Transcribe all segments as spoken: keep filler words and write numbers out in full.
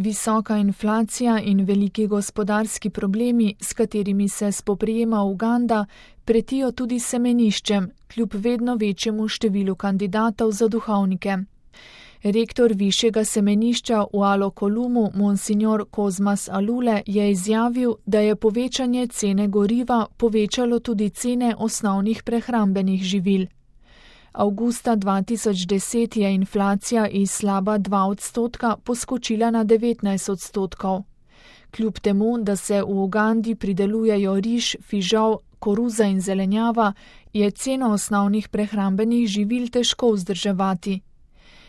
Visoka inflacija in veliki gospodarski problemi, s katerimi se spoprijema Uganda, pretijo tudi semeniščem, kljub vedno večjemu številu kandidatov za duhovnike. Rektor višjega semenišča v Alo-Kolumu, monsignor Kozmas Alule, je izjavil, da je povečanje cene goriva povečalo tudi cene osnovnih prehrambenih živil. Avgusta dva tisoč deset je inflacija iz slaba dva odstotka poskočila na devetnajst odstotkov. Kljub temu, da se v Ugandi pridelujejo riž, fižol, koruza in zelenjava, je ceno osnovnih prehrambenih živil težko vzdrževati.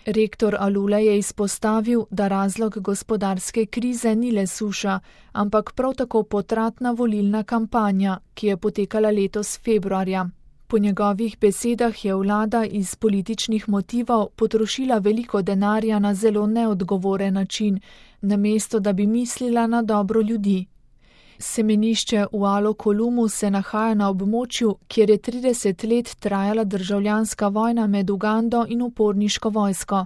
Rektor Alule je izpostavil, da razlog gospodarske krize ni le suša, ampak prav tako potratna volilna kampanja, ki je potekala letos februarja. Po njegovih besedah je vlada iz političnih motivov potrošila veliko denarja na zelo neodgovoren način, namesto da bi mislila na dobro ljudi. Semenišče v Alo-Kolumu se nahaja na območju, kjer je trideset let trajala državljanska vojna med Ugando in uporniško vojsko.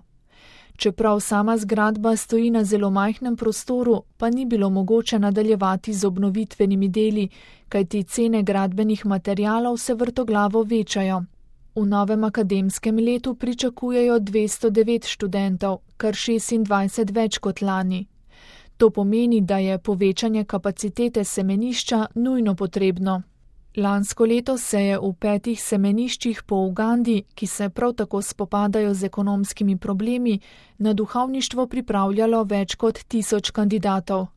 Čeprav sama zgradba stoji na zelo majhnem prostoru, pa ni bilo mogoče nadaljevati z obnovitvenimi deli, kajti cene gradbenih materialov se vrtoglavo večajo. V novem akademskem letu pričakujejo dvesto devet študentov, kar šestindvajset več kot lani. To pomeni, da je povečanje kapacitete semenišča nujno potrebno. Lansko leto se je v petih semeniščih po Ugandi, ki se prav tako spopadajo z ekonomskimi problemi, na duhovništvo pripravljalo več kot tisoč kandidatov.